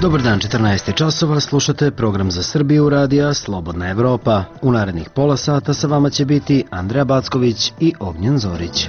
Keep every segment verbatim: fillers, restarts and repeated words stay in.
Dobar dan, četrnaest časova, slušate program za Srbiju radija Slobodna Evropa. U narednih pola sata sa vama će biti Andreja Backović i Ognjen Zorić.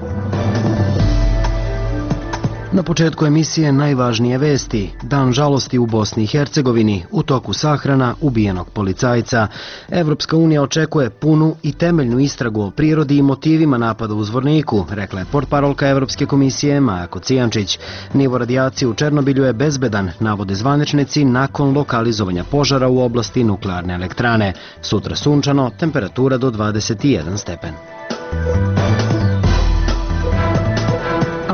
Na početku emisije najvažnije vesti. Dan žalosti u Bosni i Hercegovini, u toku sahrana ubijenog policajca. Evropska unija očekuje punu i temeljnu istragu o prirodi i motivima napada u Zvorniku, rekla je portparolka Evropske komisije Maja Kocijančić. Nivo radijacije u Černobilju je bezbedan, navode zvaničnici nakon lokalizovanja požara u oblasti nuklearne elektrane. Sutra sunčano, temperatura do dvadeset jedan stepen.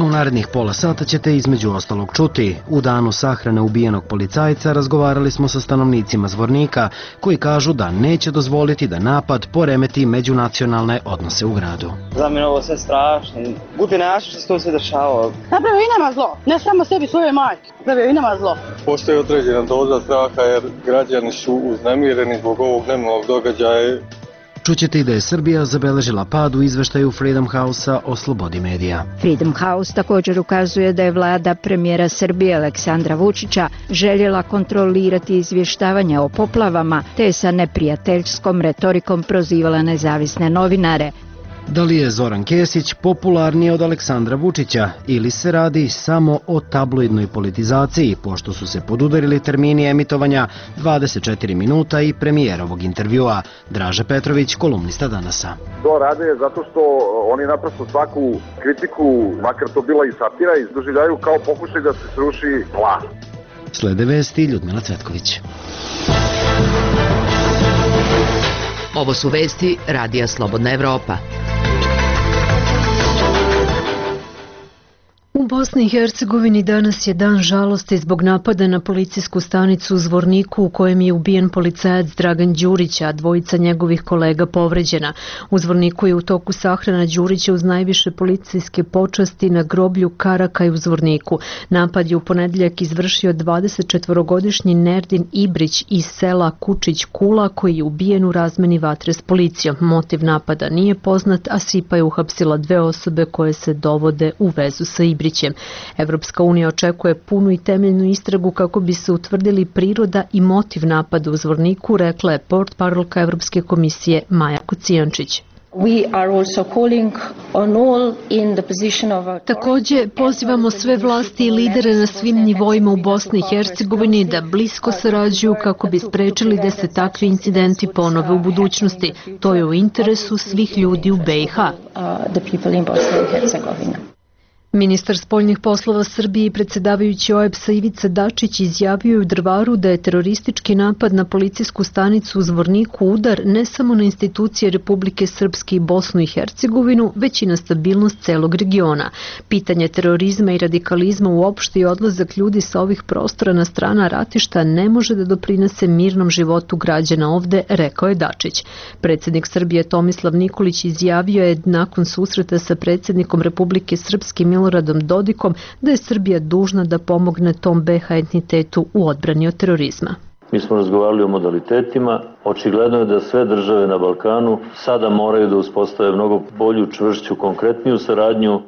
U narednih pola sata ćete između ostalog čuti. U danu sahrane ubijenog policajca razgovarali smo sa stanovnicima Zvornika, koji kažu da neće dozvoliti da napad poremeti međunacionalne odnose u gradu. Za mene ovo sve strašno. Budi nešto što se to sve dešava. Napravio i nama zlo. Ne samo sebi, svoje majke. Napravio i nama zlo. Postoji određena doza straha jer građani su uznemireni zbog ovog nemilog događaja. Čućete i da je Srbija zabeležila pad u izveštaju Freedom House-a o slobodi medija. Freedom House također ukazuje da je vlada premijera Srbije Aleksandra Vučića željela kontrolirati izvještavanje o poplavama, te je sa neprijateljskom retorikom prozivala nezavisne novinare. Da li je Zoran Kesić popularniji od Aleksandra Vučića ili se radi samo o tabloidnoj politizaciji, pošto su se podudarili termini emitovanja dvadeset četiri minuta i premijerovog intervjua? Draže Petrović, kolumnista Danasa. To rade zato što oni naprosto svaku kritiku, makar to bila i satira, doživljaju kao pokušaj da se sruši vlast. Slede vesti Ljudmila Cvetković. Ovo su vesti radija Slobodna Evropa. U Bosni i Hercegovini danas je dan žalosti zbog napada na policijsku stanicu u Zvorniku u kojem je ubijen policajac Dragan Đurić, a dvojica njegovih kolega povređena. U Zvorniku je u toku sahrana Đurića uz najviše policijske počasti na groblju Karakaj u Zvorniku. Napad je u ponedjeljak izvršio dvadesetčetvorogodišnji Nerdin Ibrić iz sela Kučić Kula, koji je ubijen u razmeni vatre s policijom. Motiv napada nije poznat, a SIPA je uhapsila dve osobe koje se dovode u vezu sa Ibrićem. Evropska unija očekuje punu i temeljnu istragu kako bi se utvrdili priroda i motiv napada u Zvorniku, rekla je portparolka Evropske komisije Maja Kocijančić. Također pozivamo sve vlasti i lidere na svim nivoima u Bosni i Hercegovini da blisko sarađuju kako bi sprečili da se takvi incidenti ponove u budućnosti. To je u interesu svih ljudi u B i H. Ministar spoljnih poslova Srbije i predsjedavajući O E B S-a Ivica Dačić izjavio je u Drvaru da je teroristički napad na policijsku stanicu u Zvorniku udar ne samo na institucije Republike Srpske i Bosnu i Hercegovinu, već i na stabilnost celog regiona. Pitanje terorizma i radikalizma uopšte i odlazak ljudi sa ovih prostora na strana ratišta ne može da doprinese mirnom životu građana ovde, rekao je Dačić. Predsjednik Srbije Tomislav Nikolić izjavio je nakon susreta sa predsjednikom Republike Srpske Miloradom Dodikom da je Srbija dužna da pomogne tom B H entitetu u odbrani od terorizma. Mi smo razgovarali o modalitetima. Očigledno je da sve države na Balkanu sada moraju da uspostave mnogo bolju, čvršću, konkretniju saradnju.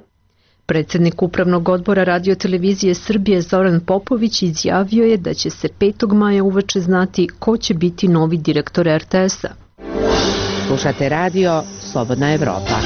Predsjednik Upravnog odbora Radio-televizije Srbije Zoran Popović izjavio je da će se petog maja uveče znati ko će biti novi direktor R T S-a. Slušate radio Slobodna Evropa.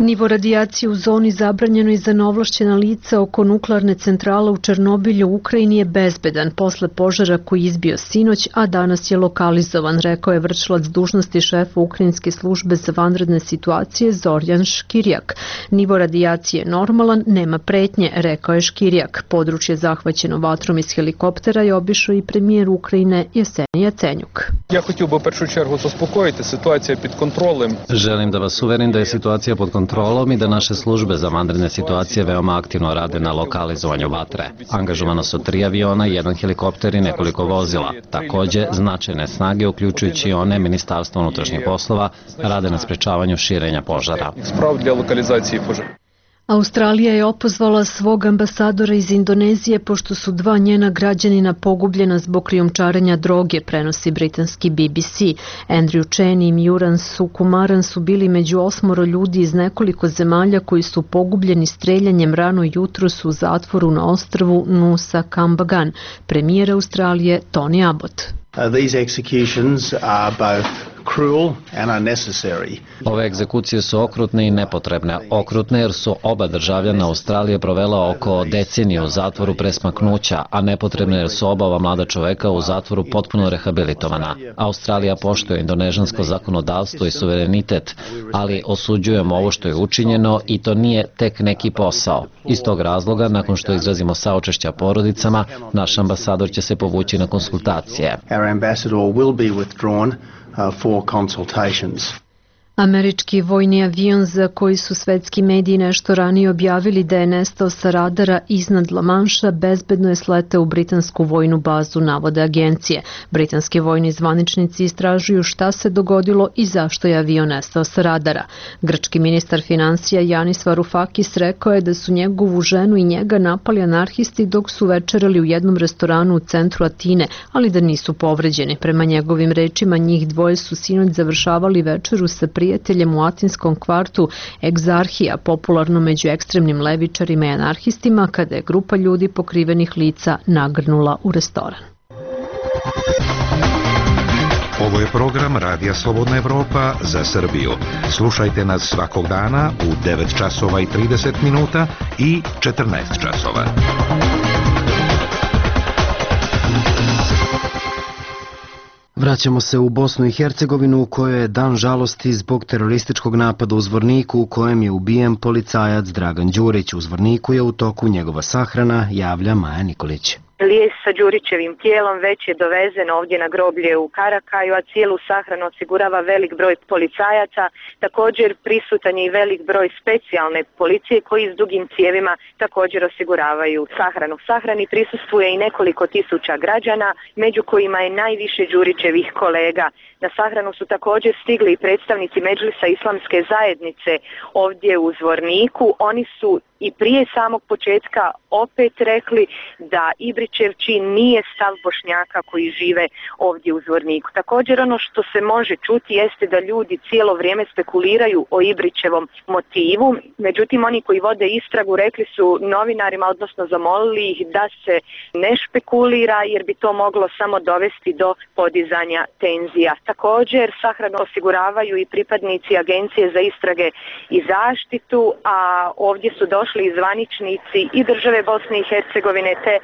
Nivo radijacije u zoni zabranjenoj za neovlašćena lica oko nuklearne centrale u Černobilju u Ukrajini je bezbedan posle požara koji izbio sinoć, a danas je lokalizovan, rekao je vršilac dužnosti šefa Ukrajinske službe za vanredne situacije Zorjan Škirjak. Nivo radijacije je normalan, nema pretnje, rekao je Škirjak. Područje zahvaćeno vatrom iz helikoptera je obišao i premijer Ukrajine Jesenij Jacenjuk. Ja хотів би в першу чергу заспокоїти, ситуація під контролем. Želim da vas uverim da je situacija pod kontrolom i da naše službe za vanredne situacije veoma aktivno rade na lokalizovanju vatre. Angažovano su tri aviona, jedan helikopter i nekoliko vozila. Također, značajne snage, uključujući one Ministarstva unutrašnjih poslova, rade na sprečavanju širenja požara. Sprav для локалізації пожежі. Australija je opozvala svog ambasadora iz Indonezije pošto su dva njena građanina pogubljena zbog krijumčarenja droge, prenosi britanski B B C. Andrew Chen i Miuran Sukumaran su bili među osmoro ljudi iz nekoliko zemalja koji su pogubljeni streljanjem rano jutros u zatvoru na ostrvu Nusa Kambangan. Premijer Australije Tony Abbott. Uh, these executions are both cruel and unnecessary. Ove egzekucije su okrutne i nepotrebne. Okrutne jer su oba državljana Australije provela oko deceniju u zatvoru pre smaknuća, a nepotrebne jer su oba ova mlada čoveka u zatvoru potpuno rehabilitovana. Australija poštuje indonežansko zakonodavstvo i suverenitet, ali osuđujemo ovo što je učinjeno i to nije tek neki posao. Iz tog razloga, nakon što izrazimo saučešća porodicama, naš ambasador će se povući na konsultacije. Our ambassador will be withdrawn uh, for consultations. Američki vojni avion za koji su svetski mediji nešto ranije objavili da je nestao sa radara iznad La Manša bezbedno je sleteo u britansku vojnu bazu, navode agencije. Britanski vojni zvaničnici istražuju šta se dogodilo i zašto je avion nestao sa radara. Grčki ministar financija Yanis Varoufakis rekao je da su njegovu ženu i njega napali anarhisti dok su večerali u jednom restoranu u centru Atine, ali da nisu povređeni. Prema njegovim rečima, njih dvoje su sinoć završavali večeru sa prijateljima prijateljem u atinskom kvartu Egzarhija, popularno među ekstremnim levičarima i anarhistima, kada je grupa ljudi pokrivenih lica nagrnula u restoran. Ovo je program Radija Slobodna Evropa za Srbiju. Slušajte nas svakog dana u devet časova i trideset minuta i četrnaest časova. Vraćamo se u Bosnu i Hercegovinu u kojoj je dan žalosti zbog terorističkog napada u Zvorniku u kojem je ubijen policajac Dragan Đurić. U Zvorniku je u toku njegova sahrana, javlja Maja Nikolić. Lijes sa Đurićevim tijelom već je dovezen ovdje na groblje u Karakaju, a cijelu sahranu osigurava velik broj policajaca. Također prisutan je i velik broj specijalne policije koji s dugim cijevima također osiguravaju sahranu. Sahrani prisustvuje i nekoliko tisuća građana, među kojima je najviše Đurićevih kolega. Na sahranu su također stigli i predstavnici Medžlisa Islamske zajednice ovdje u Zvorniku. Oni su i prije samog početka opet rekli da Ibrićev čin nije stav Bošnjaka koji žive ovdje u Zvorniku. Također ono što se može čuti jeste da ljudi cijelo vrijeme spekuliraju o Ibrićevom motivu. Međutim, oni koji vode istragu rekli su novinarima, odnosno zamolili ih da se ne špekulira jer bi to moglo samo dovesti do podizanja tenzija. Također sahranu osiguravaju i pripadnici Agencije za istrage i zaštitu, a ovdje su došli i zvaničnici i države Bosne i Hercegovine te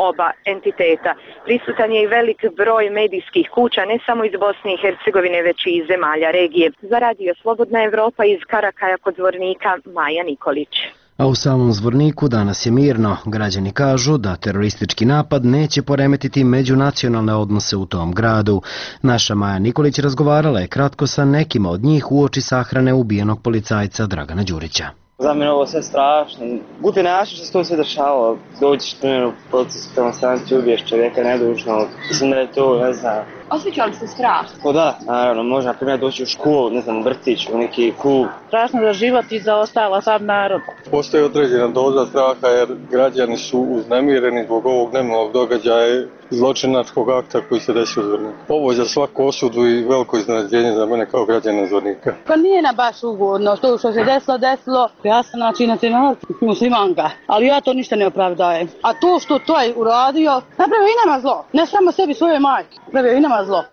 oba entiteta. Prisutan je i velik broj medijskih kuća, ne samo iz Bosne i Hercegovine, već i iz zemalja regije. Za Radio Slobodna Evropa iz Karakaja kod Zvornika, Maja Nikolić. A u samom Zvorniku danas je mirno. Građani kažu da teroristički napad neće poremetiti međunacionalne odnose u tom gradu. Naša Maja Nikolić razgovarala je kratko sa nekima od njih uoči sahrane ubijenog policajca Dragana Đurića. Za mene ovo sve strašno. Guti način što se to sve dešava. Dođeš primjer u proces prema stranci, ubiješ čovjeka nedužno. Mislim da je to, ne znam. Osjeća li se strah? O da, naravno, može na primjer doći u školu, ne znam, u vrtić, u neki klub. Strašno za život i za ostala sam narod. Postoji određena doza straha jer građani su uznemireni zbog ovog nemilog događaja zločinačkog akta koji se desio u Zvorniku. Ovo je za svaku osudu i veliko iznenađenje za mene kao građana Zvornika. Pa nije na baš ugodno, to što se desilo, desilo. Ja sam znači nacionalna muslimanka, ali ja to ništa ne opravdajem. A to što to je uradio, napravio i nama zlo. Ne samo sebi, svoje majke, napravio i nama zlo.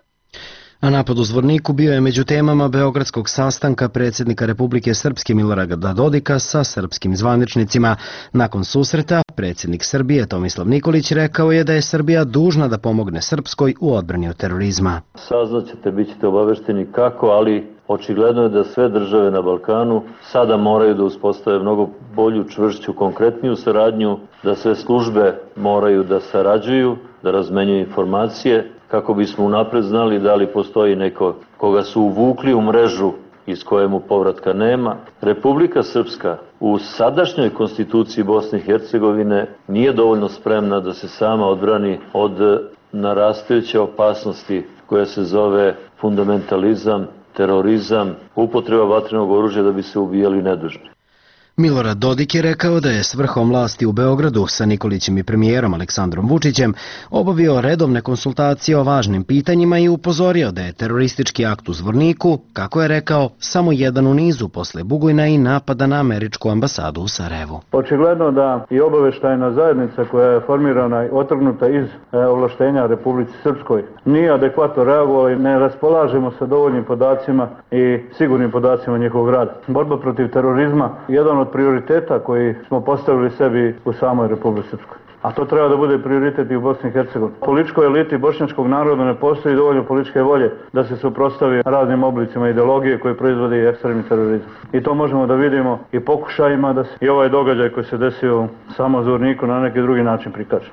A napad u Zvorniku bio je među temama beogradskog sastanka predsjednika Republike Srpske Milorada Dodika sa srpskim zvaničnicima. Nakon susreta, predsjednik Srbije Tomislav Nikolić rekao je da je Srbija dužna da pomogne Srpskoj u odbrani od terorizma. Saznaćete, bit ćete obavešteni kako, ali očigledno je da sve države na Balkanu sada moraju da uspostave mnogo bolju, čvršću, konkretniju saradnju, da sve službe moraju da sarađuju, da razmenjuju informacije, kako bismo unapred znali da li postoji neko koga su uvukli u mrežu iz kojemu povratka nema. Republika Srpska u sadašnjoj konstituciji Bosne i Hercegovine nije dovoljno spremna da se sama odbrani od narastajuće opasnosti koja se zove fundamentalizam, terorizam, upotreba vatrenog oružja da bi se ubijali nedužni. Milorad Dodik je rekao da je s vrhom vlasti u Beogradu sa Nikolićem i premijerom Aleksandrom Vučićem obavio redovne konsultacije o važnim pitanjima i upozorio da je teroristički akt u Zvorniku, kako je rekao, samo jedan u nizu posle Bugojna i napada na američku ambasadu u Sarajevu. Očigledno da i obaveštajna zajednica koja je formirana i otrgnuta iz ovlaštenja Republici Srpskoj nije adekvatno reagovala i ne raspolažemo sa dovoljnim podacima i sigurnim podacima njihovog rada. Borba protiv terorizma je jedan od prioriteta koji smo postavili sebi u samoj Republici Srpskoj. A to treba da bude prioritet i u Bosni i Hercegovini. Političkoj eliti bošnjačkog naroda ne postoji dovoljno političke volje da se suprotstavi raznim oblicima ideologije koje proizvodi ekstremni terorizam. I to možemo da vidimo i pokušajima da se i ovaj događaj koji se desio samo u Zvorniku na neki drugi način prikaže.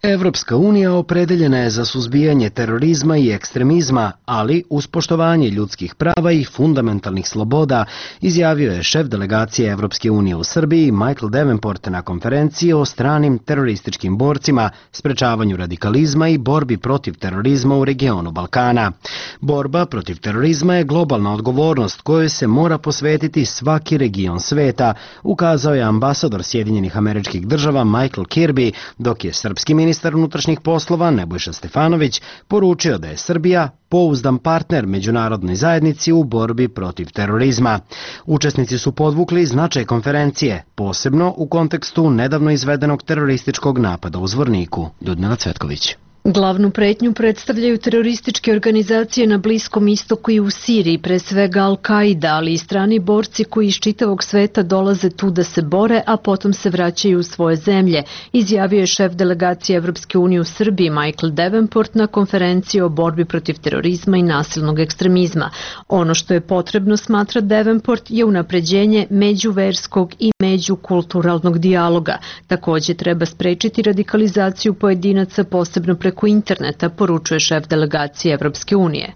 Evropska unija opredeljena je za suzbijanje terorizma i ekstremizma, ali uz poštovanje ljudskih prava i fundamentalnih sloboda, izjavio je šef delegacije Evropske unije u Srbiji Michael Davenport na konferenciji o stranim terorističkim borcima, sprečavanju radikalizma i borbi protiv terorizma u regionu Balkana. Borba protiv terorizma je globalna odgovornost kojoj se mora posvetiti svaki region sveta, ukazao je ambasador Sjedinjenih Američkih Država Michael Kirby, dok je srpski ministar Ministar unutrašnjih poslova Nebojša Stefanović poručio da je Srbija pouzdan partner međunarodnoj zajednici u borbi protiv terorizma. Učesnici su podvukli značaj konferencije, posebno u kontekstu nedavno izvedenog terorističkog napada u Zvorniku. Ljudmila Cvetković. Glavnu pretnju predstavljaju terorističke organizacije na Bliskom istoku i u Siriji, pre svega Al-Qaida, ali i strani borci koji iz čitavog sveta dolaze tu da se bore, a potom se vraćaju u svoje zemlje, izjavio je šef delegacije Evropske unije u Srbiji Michael Davenport na konferenciji o borbi protiv terorizma i nasilnog ekstremizma. Ono što je potrebno, smatra Davenport, je unapređenje međuverskog i međukulturalnog dijaloga. Takođe treba sprečiti radikalizaciju pojedinaca, posebno preko interneta, poručuje šef delegacije Evropske unije.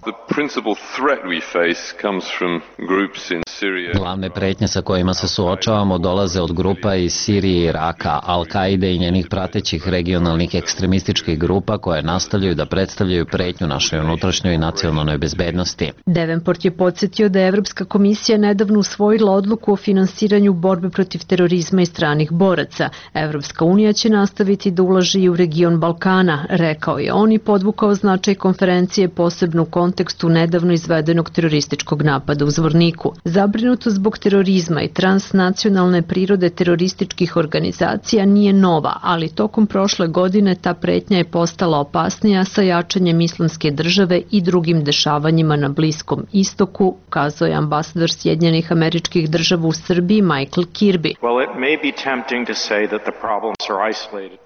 Glavne pretnje sa kojima se suočavamo dolaze od grupa iz Sirije i Iraka, Al-Qaide i njenih pratećih regionalnih ekstremističkih grupa koje nastavljaju da predstavljaju pretnju našoj unutrašnjoj i nacionalnoj bezbednosti. Davenport je podsjetio da je Evropska komisija nedavno usvojila odluku o finansiranju borbe protiv terorizma i stranih boraca. Evropska unija će nastaviti da ulaže i u region Balkana, rekao je on i podvukao značaj konferencije posebno u kontekstu nedavno izvedenog terorističkog napada u Zvorniku. Zabrinuto zbog terorizma i transnacionalne prirode terorističkih organizacija nije nova, ali tokom prošle godine ta pretnja je postala opasnija sa jačanjem Islamske države i drugim dešavanjima na Bliskom istoku, kazao je ambasador Sjedinjenih Američkih Država u Srbiji Michael Kirby.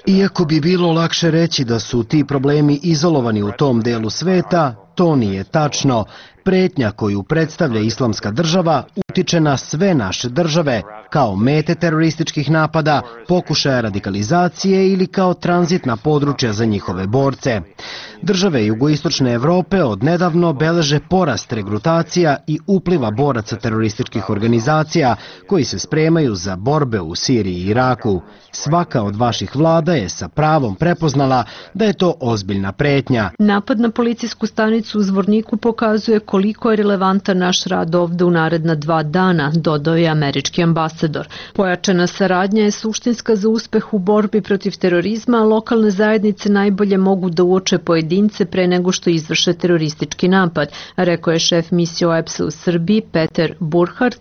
Iako bi bilo lakše reći da su ti problemi izolovani u tom delu sveta, to nije tačno. Pretnja koju predstavlja Islamska država utiče na sve naše države, kao mete terorističkih napada, pokušaja radikalizacije ili kao tranzitna područja za njihove borce. Države jugoistočne Evrope odnedavno beleže porast regrutacija i upliva boraca terorističkih organizacija koji se spremaju za borbe u Siriji i Iraku. Svaka od vaših vlada je sa pravom prepoznala da je to ozbiljna pretnja. Napad na policijsku stanicu u Zvorniku pokazuje koliko je relevantan naš rad ovde u naredna dva dana, dodao je američki ambasador. Pojačana saradnja je suštinska za uspeh u borbi protiv terorizma, a lokalne zajednice najbolje mogu da uoče pojedince pre nego što izvrše teroristički napad, rekao je šef misije O E P S-a u Srbiji Peter Burkhardt.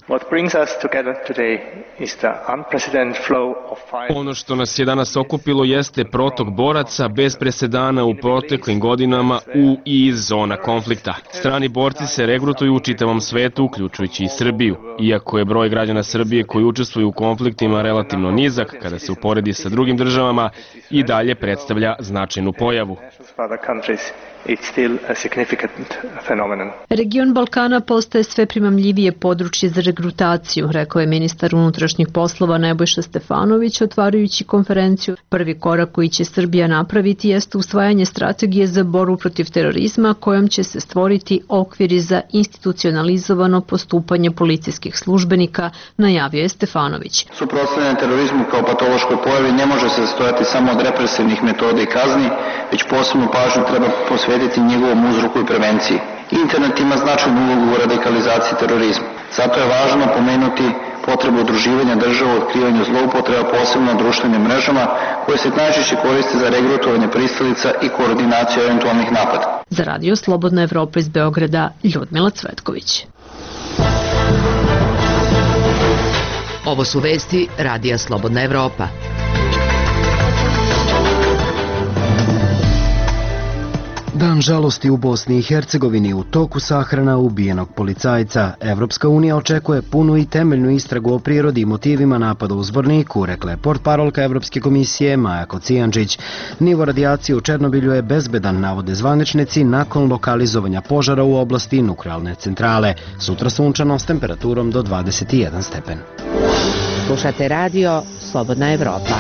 Ono što nas je danas okupilo jeste protok boraca bez presedana u proteklim godinama u i iz zona konflikta. Strani borci se regrutuju u čitavom svetu, uključujući i Srbiju. Iako je broj građana Srbije koji učestvuju u konfliktima relativno nizak, kada se uporedi sa drugim državama, i dalje predstavlja značajnu pojavu. Region Balkana postaje sve primamljivije područje za regrutaciju, rekao je ministar unutrašnjih poslova Nebojša Stefanović, otvarajući konferenciju. Prvi korak koji će Srbija napraviti jeste usvajanje strategije za borbu protiv terorizma, kojom će se stvoriti okviri za institucionalizovano postupanje policijskih službenika, najavio je Stefanović. Suprotstavljanje terorizmu kao patološkoj pojavi ne može se sastojati samo od represivnih metoda i kazni, već posebnu pažnju treba posvetiti njegovom uzroku i prevenciji. Internet ima značajnu ulogu u radikalizaciji terorizma. Zato je važno pomenuti potrebu udruživanja država u otkrivanju zloupotreba, posebno na društvenim mrežama, koje se najčešće koriste za regrutovanje pristalica i koordinaciju eventualnih napada. Za Radio Slobodna Evropa iz Beograda, Ljudmila Cvetković. Ovo su vesti Radija Slobodna Evropa. Dan žalosti u Bosni i Hercegovini, u toku sahrana ubijenog policajca. Evropska unija očekuje punu i temeljnu istragu o prirodi i motivima napada u Zvorniku, rekla je portparolka Evropske komisije Maja Kocijančić. Nivo radijacije u Černobilju je bezbedan, navode zvaničnici, nakon lokalizovanja požara u oblasti nuklearne centrale. Sutra sunčano s temperaturom do dvadeset jedan stepen. Slušate radio Slobodna Evropa.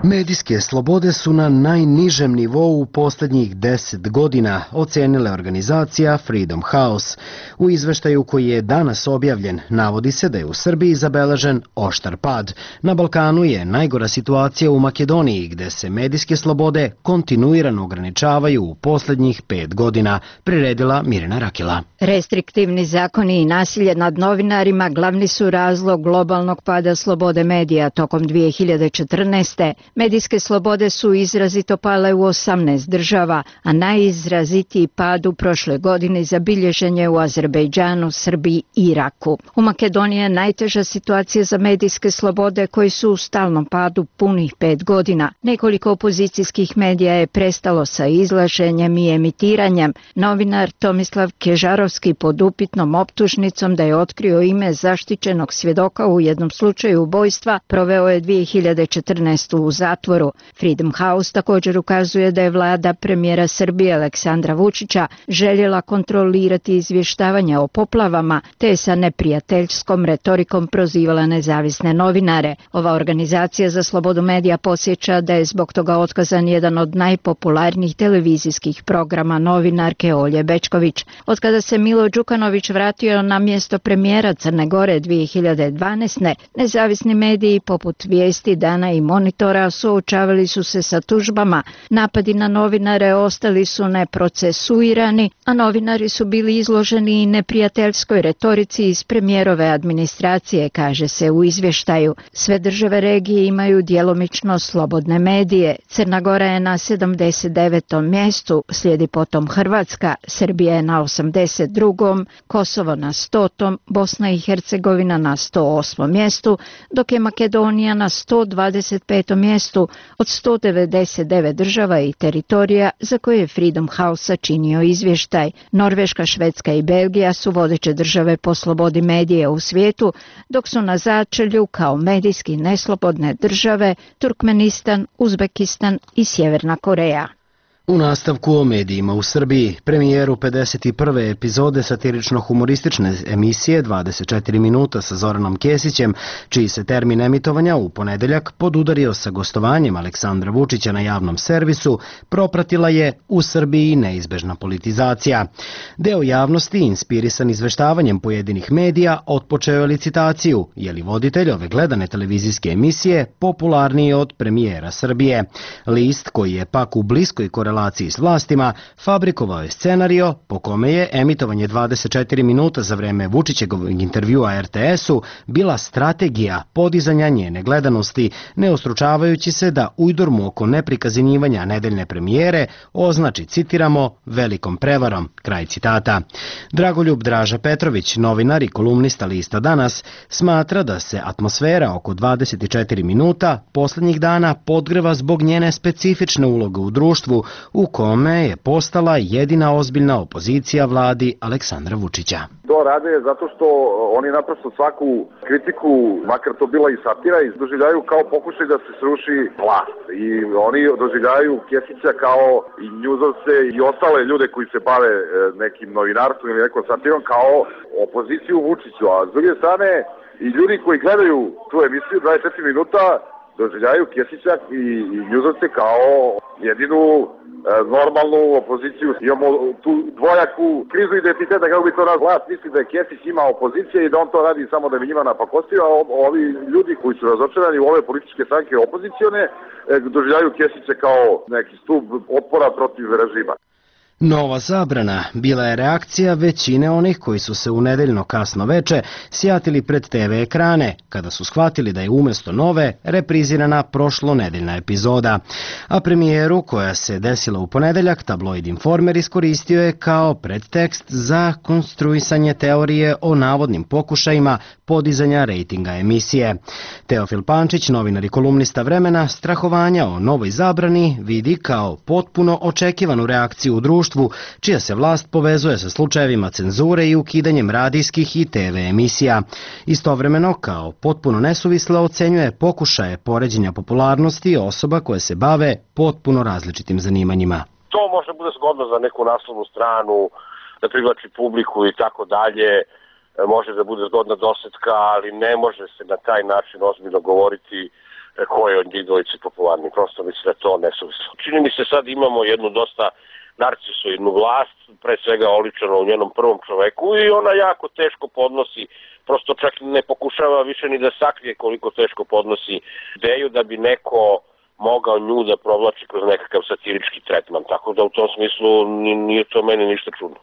Medijske slobode su na najnižem nivou u posljednjih deset godina, ocenila organizacija Freedom House. U izveštaju koji je danas objavljen, navodi se da je u Srbiji zabeležen oštar pad. Na Balkanu je najgora situacija u Makedoniji, gde se medijske slobode kontinuirano ograničavaju u posljednjih pet godina, priredila Mirjana Rakila. Restriktivni zakoni i nasilje nad novinarima glavni su razlog globalnog pada slobode medija tokom dvije hiljade četrnaeste. Medijske slobode su izrazito pale u osamnaest država, a najizrazitiji pad u prošle godine zabilježen je u Azerbejdžanu, Srbiji i Iraku. U Makedoniji je najteža situacija za medijske slobode koji su u stalnom padu punih pet godina. Nekoliko opozicijskih medija je prestalo sa izlaženjem i emitiranjem. Novinar Tomislav Kežarovski pod upitnom optužnicom da je otkrio ime zaštićenog svjedoka u jednom slučaju ubojstva proveo je dvije hiljade četrnaeste. u zatvoru. Freedom House također ukazuje da je vlada premijera Srbije Aleksandra Vučića željela kontrolirati izvještavanja o poplavama, te je sa neprijateljskom retorikom prozivala nezavisne novinare. Ova organizacija za slobodu medija podsjeća da je zbog toga otkazan jedan od najpopularnijih televizijskih programa novinarke Olje Bečković. Od kada se Milo Đukanović vratio na mjesto premijera Crne Gore dvije hiljade dvanaeste. nezavisni mediji poput Vijesti, Dana i Monitora suočavali su se sa tužbama. Napadi na novinare ostali su neprocesuirani, a novinari su bili izloženi i neprijateljskoj retorici iz premijerove administracije, kaže se u izvještaju. Sve države regije imaju djelomično slobodne medije. Crna Gora je na sedamdeset devetom mjestu, slijedi potom Hrvatska, Srbija je na osamdeset drugom, Kosovo na stotom, Bosna i Hercegovina na sto osmom mjestu, dok je Makedonija na sto dvadeset petom mjestu od sto devedeset devet država i teritorija za koje je Freedom House sačinio izvještaj. Norveška, Švedska i Belgija su vodeće države po slobodi medija u svijetu, dok su na začelju kao medijski neslobodne države Turkmenistan, Uzbekistan i Sjeverna Koreja. U nastavku o medijima u Srbiji, premijeru pedeset prve epizode satirično-humoristične emisije dvadeset četiri minuta sa Zoranom Kesićem, čiji se termin emitovanja u ponedeljak podudario sa gostovanjem Aleksandra Vučića na javnom servisu, propratila je u Srbiji neizbežna politizacija. Deo javnosti, inspirisan izveštavanjem pojedinih medija, otpočeo je licitaciju, je li voditelj ove gledane televizijske emisije popularniji od premijera Srbije. List, koji je pak u bliskoj korelaciji s vlastima, fabrikovao je scenario po kome je emitovanje dvadeset četiri minuta za vreme Vučićevog intervjua er te esu bila strategija podizanja njene gledanosti, ne ostručavajući se da ujdurmu oko neprikazivanja nedeljne premijere označi, citiramo, velikom prevarom, kraj citata. Dragoljub Draža Petrović, novinar i kolumnista lista Danas, smatra da se atmosfera oko dvadeset četiri minuta posljednjih dana podgreva zbog njene specifične uloge u društvu, u kome je postala jedina ozbiljna opozicija vladi Aleksandra Vučića. To rade zato što oni naprosto svaku kritiku, makar to bila i satira, doživljaju kao pokušaj da se sruši vlast. I oni doživljaju Kesića kao i njuzovce i ostale ljude koji se bave nekim novinarstvom ili nekom satirom kao opoziciju Vučiću. A s druge strane, i ljudi koji gledaju tu emisiju dvadeset četiri minuta doživljaju Kesića i, i njuzovce kao jedinu normalnu opoziciju. Imamo tu dvojaku krizu identiteta, kako bi to nas vlast misli da je Kesić ima opozicija i da on to radi samo da bi njima napakostio, a ovi ljudi koji su razočarani u ove političke stranke opozicione doživljaju Kesića kao neki stub otpora protiv režima. Nova zabrana bila je reakcija većine onih koji su se u nedeljno kasno veče sjatili pred te ve ekrane, kada su shvatili da je umjesto nove reprizirana prošlonedeljna epizoda. A premijeru, koja se desila u ponedeljak, tabloid Informer iskoristio je kao predtekst za konstruisanje teorije o navodnim pokušajima podizanja rejtinga emisije. Teofil Pančić, novinar i kolumnista Vremena, strahovanja o novoj zabrani vidi kao potpuno očekivanu reakciju u društvu, čija se vlast povezuje sa slučajevima cenzure i ukidanjem radijskih i te ve emisija. Istovremeno, kao potpuno nesuvisle ocenjuje pokušaje poređenja popularnosti osoba koje se bave potpuno različitim zanimanjima. To možda bude zgodno za neku naslovnu stranu, da privlači publiku i tako dalje, može da bude zgodna dosetka, ali ne može se na taj način ozbiljno govoriti ko je od njih dvojice popularni. Prosto mislim da je to nesuvislo. Čini mi se sad imamo jednu dosta narcisoidnu vlast, pre svega oličeno u njenom prvom čoveku, i ona jako teško podnosi, prosto čak ne pokušava više ni da sakrije koliko teško podnosi ideju da bi neko mogao nju da provlači kroz nekakav satirički tretman. Tako da u tom smislu nije to meni ništa čudno.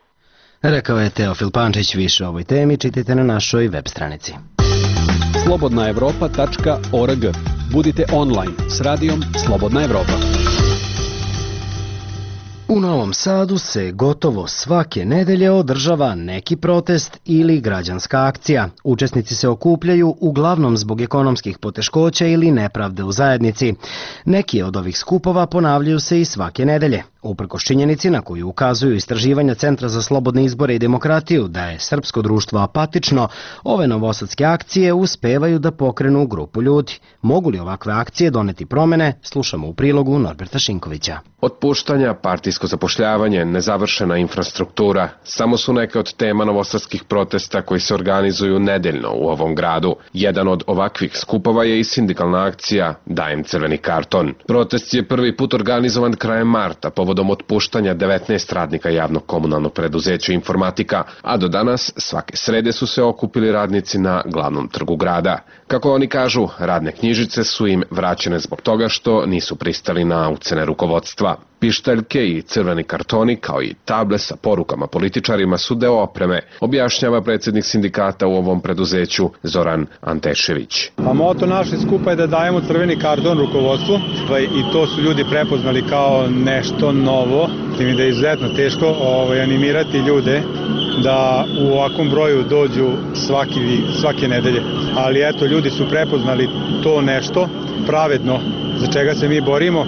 Rekao je Teofil Pančić. Više o ovoj temi čitajte na našoj web stranici. slobodna evropa tačka org. Budite online s radijom Slobodna Evropa. U Novom Sadu se gotovo svake nedelje održava neki protest ili građanska akcija. Učesnici se okupljaju uglavnom zbog ekonomskih poteškoća ili nepravde u zajednici. Neki od ovih skupova ponavljaju se i svake nedelje. Uprkos činjenici na koju ukazuju istraživanja Centra za slobodne izbore i demokratiju da je srpsko društvo apatično, ove novosadske akcije uspevaju da pokrenu grupu ljudi. Mogu li ovakve akcije doneti promene? Slušamo u prilogu Norberta Šinkovića. Otpuštanja, partijsko zapošljavanje, nezavršena infrastruktura samo su neke od tema novosadskih protesta koji se organizuju nedeljno u ovom gradu. Jedan od ovakvih skupova je i sindikalna akcija Dajem crveni karton. Protest je prvi put organizovan krajem marta povodom otpuštanja devetnaest radnika javnog komunalnog preduzeća Informatika, a do danas svake srede su se okupili radnici na glavnom trgu grada. Kako oni kažu, radne knjižice su im vraćene zbog toga što nisu pristali na ucene rukovodstva. Pištaljke i crveni kartoni, kao i table sa porukama političarima, su deo opreme, objašnjava predsjednik sindikata u ovom preduzeću Zoran Antešević. Pa moto naše skupa je da dajemo crveni karton rukovodstvu i to su ljudi prepoznali kao nešto novo. Mi da je izuzetno teško ovaj, animirati ljude da u ovakvom broju dođu svaki, svake nedelje. Ali eto, ljudi su prepoznali to nešto pravedno za čega se mi borimo.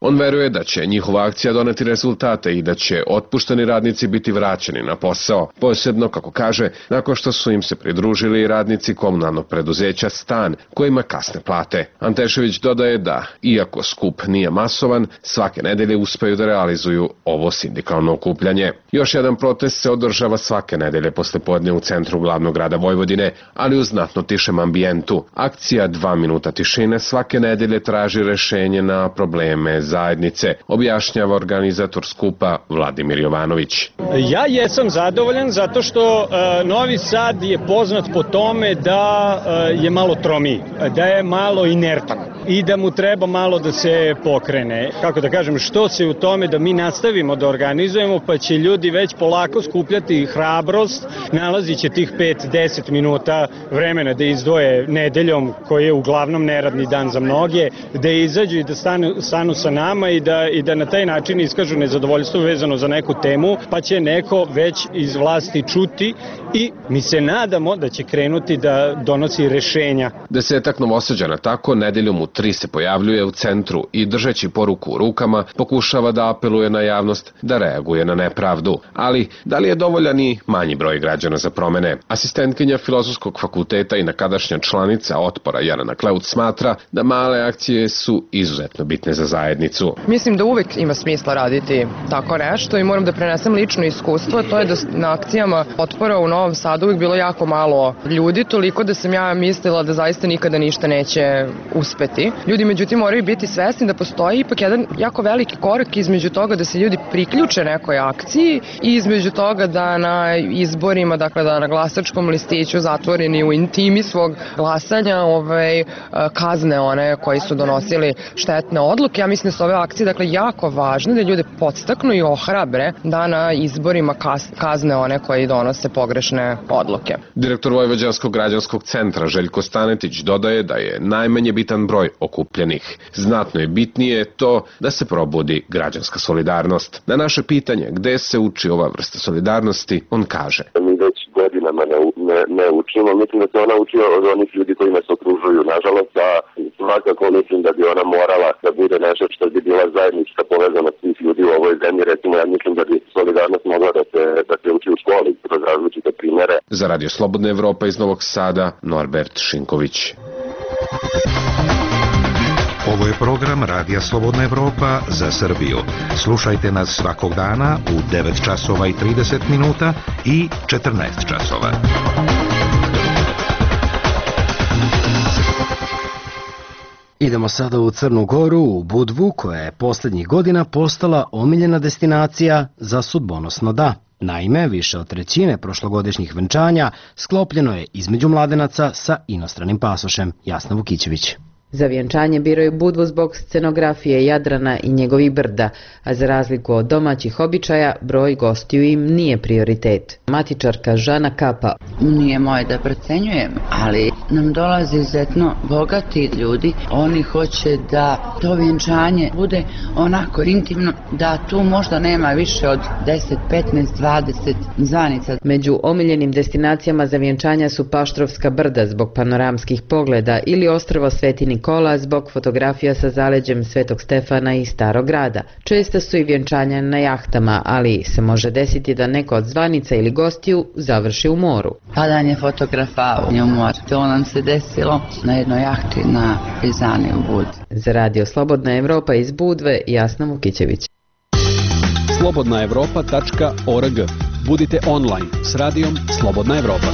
On veruje da će njihova akcija doneti rezultate i da će otpušteni radnici biti vraćeni na posao, posebno, kako kaže, nakon što su im se pridružili radnici komunalnog preduzeća Stan, kojima kasne plate. Antešević dodaje da, iako skup nije masovan, svake nedelje uspeju da realizuju ovo sindikalno okupljanje. Još jedan protest se održava svake nedelje poslepodne u centru glavnog grada Vojvodine, ali u znatno tišem ambijentu. Akcija Dva minuta tišine svake nedelje traži rešenje na probleme zajednice, objašnjava organizator skupa Vladimir Jovanović. Ja jesam zadovoljan zato što uh, Novi Sad je poznat po tome da uh, je malo tromiji, da je malo inertan i da mu treba malo da se pokrene. Kako da kažem, što se u tome da mi nastavimo da organizujemo, pa će ljudi već polako skupljati hrabrost, nalazit će tih pet do deset minuta vremena da izdvoje nedeljom, koji je uglavnom neradni dan za mnoge, da izađu i da stanu, stanu sa nama i da, i da na taj način iskažu nezadovoljstvo vezano za neku temu, pa će neko već iz vlasti čuti i mi se nadamo da će krenuti da donosi rešenja. Desetak Novosađana tako nedeljom u tri se pojavljuje u centru i držeći poruku u rukama pokušava da apeluje na javnost da reaguje na nepravdu. Ali da li je dovoljan i manji broj građana za promene? Asistentkinja Filozofskog fakulteta i nekadašnja članica Otpora Jelena Kleuc smatra da male akcije su izuzetno bitne za zajednicu. Mislim da uvek ima smisla raditi tako nešto i moram da prenesem lično iskustvo, to je da na akcijama Otpora u Novom Sadu uvek bilo jako malo ljudi, toliko da sam ja mislila da zaista nikada ništa neće uspeti. Ljudi međutim moraju biti svesni da postoji ipak jedan jako veliki korak između toga da se ljudi priključe nekoj akciji i između toga da na izborima, dakle da na glasačkom listiću zatvoreni u intimi svog glasanja ovaj, kazne one koji su donosili štetne odluke. Ja mislim da su ove akcije dakle jako važne da ljude podstaknu i ohrabre da na izborima kazne one koji donose pogrešne odluke. Direktor Vojvođanskog građanskog centra Željko Stanetić dodaje da je najmanje bitan broj okupljenih. Znatno je bitnije to da se probudi građanska solidarnost. Na naše pitanje gde se uči ova vrsta solidarnosti, on kaže: Mi već godinama ne, ne, ne učimo, mislim da se ona uči od onih ljudi koji nas okružuju. Nažalost, a svakako mislim da bi ona morala da bude nešto što bi bila zajednička povezanost svih ljudi u ovoj zemlji. Recimo, ja mislim da bi solidarnost mogla da se, da se uči u školi kroz različite primere. Za Radio Slobodna Evropa iz Novog Sada, Norbert Šinković. Ovo je program Radija Slobodna Evropa za Srbiju. Slušajte nas svakog dana u devet časova i trideset minuta i četrnaest časova. Idemo sada u Crnu Goru, u Budvu, koja je posljednjih godina postala omiljena destinacija za sudbonosno da. Naime, više od trećine prošlogodišnjih venčanja sklopljeno je između mladenaca sa inostranim pasošem. Jasna Vukićević. Za vjenčanje biraju Budvu zbog scenografije Jadrana i njegovih brda, a za razliku od domaćih običaja, broj gostiju im nije prioritet. Matičarka Žana Kapa. Nije moje da procenjujem, ali nam dolaze izuzetno bogati ljudi. Oni hoće da to vjenčanje bude onako intimno, da tu možda nema više od deset, petnaest, dvadeset zvanica. Među omiljenim destinacijama za vjenčanja su Paštrovska brda zbog panoramskih pogleda ili ostrvo Sveti Nikola zbog fotografija sa zaleđem Svetog Stefana i Starog grada. Česta su i vjenčanja na jahtama, ali se može desiti da neko od zvanica ili gostiju završi u moru. Padanje fotografa u mor. To nam se desilo na jednoj jahti na Prizani u Budvi. Za Radio Slobodna Evropa iz Budve, Jasna Vukićević. slobodna evropa tačka org. Budite online s radijom Slobodna Evropa.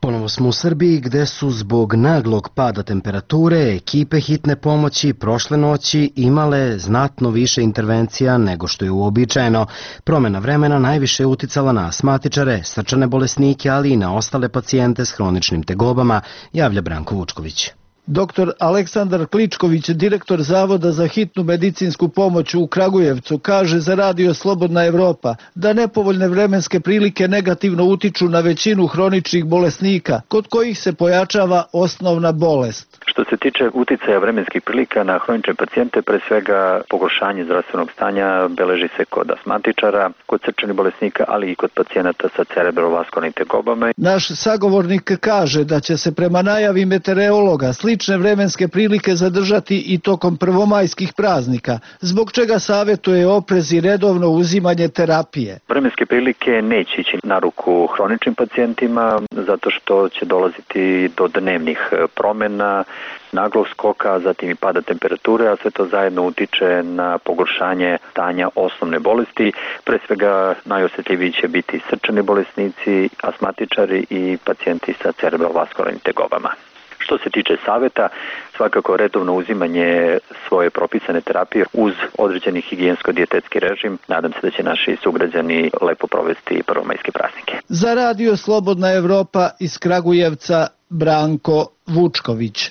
Ponovo smo u Srbiji gde su zbog naglog pada temperature ekipe hitne pomoći prošle noći imale znatno više intervencija nego što je uobičajeno. Promjena vremena najviše je uticala na astmatičare, srčane bolesnike, ali i na ostale pacijente s hroničnim tegobama, javlja Branko Vučković. Doktor Aleksandar Kličković, direktor Zavoda za hitnu medicinsku pomoć u Kragujevcu, kaže za Radio Slobodna Evropa da nepovoljne vremenske prilike negativno utiču na većinu hroničnih bolesnika, kod kojih se pojačava osnovna bolest. Što se tiče uticaja vremenskih prilika na hronične pacijente, pre svega pogoršanje zdravstvenog stanja beleži se kod astmatičara, kod srčanih bolesnika, ali i kod pacijenata sa cerebrovaskularnim tegobama. Naš sagovornik kaže da će se prema najavi meteorologa slične vremenske prilike zadržati i tokom prvomajskih praznika, zbog čega savjetuje oprez i redovno uzimanje terapije. Vremenske prilike neće ići na ruku hroničnim pacijentima, zato što će dolaziti do dnevnih promjena, naglog skoka, zatim i pada temperature, a sve to zajedno utiče na pogoršanje stanja osnovne bolesti. Pre svega najosjetljiviji će biti srčani bolesnici, astmatičari i pacijenti sa cerebrovaskularnim tegobama. Što se tiče savjeta, svakako redovno uzimanje svoje propisane terapije uz određeni higijensko-dijetetski režim. Nadam se da će naši sugrađani lepo provesti prvomajske praznike. Za Radio Slobodna Evropa iz Kragujevca, Branko Vučković.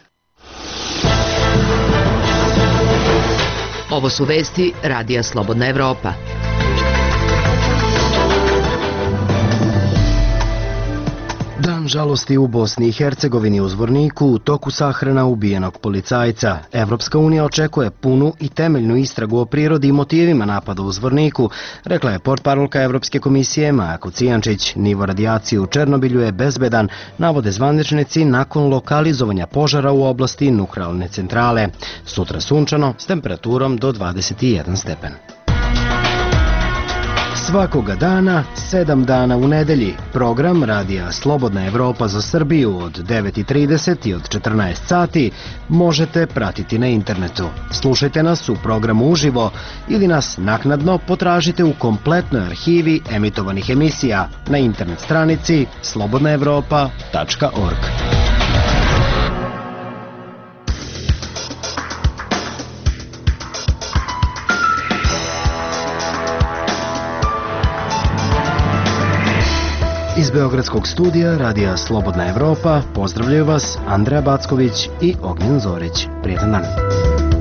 Ovo su vesti Radija Slobodna Evropa. Dan žalosti u Bosni i Hercegovini u Zvorniku u toku sahrana ubijenog policajca. Evropska unija očekuje punu i temeljnu istragu o prirodi i motivima napada u Zvorniku, rekla je portparolka Evropske komisije Maja Kocijančić. Nivo radijacije u Černobilju je bezbedan, navode zvaničnici nakon lokalizovanja požara u oblasti nuklearne centrale. Sutra sunčano s temperaturom do dvadeset jedan stepen. Svakoga dana, sedam dana u nedelji, program Radija Slobodna Evropa za Srbiju od devet i trideset i od četrnaest sati možete pratiti na internetu. Slušajte nas u programu uživo ili nas naknadno potražite u kompletnoj arhivi emitovanih emisija na internet stranici slobodna evropa tačka org. Iz Beogradskog studija Radija Slobodna Evropa pozdravljaju vas Andreja Backović i Ognjen Zorić. Prijetan dan.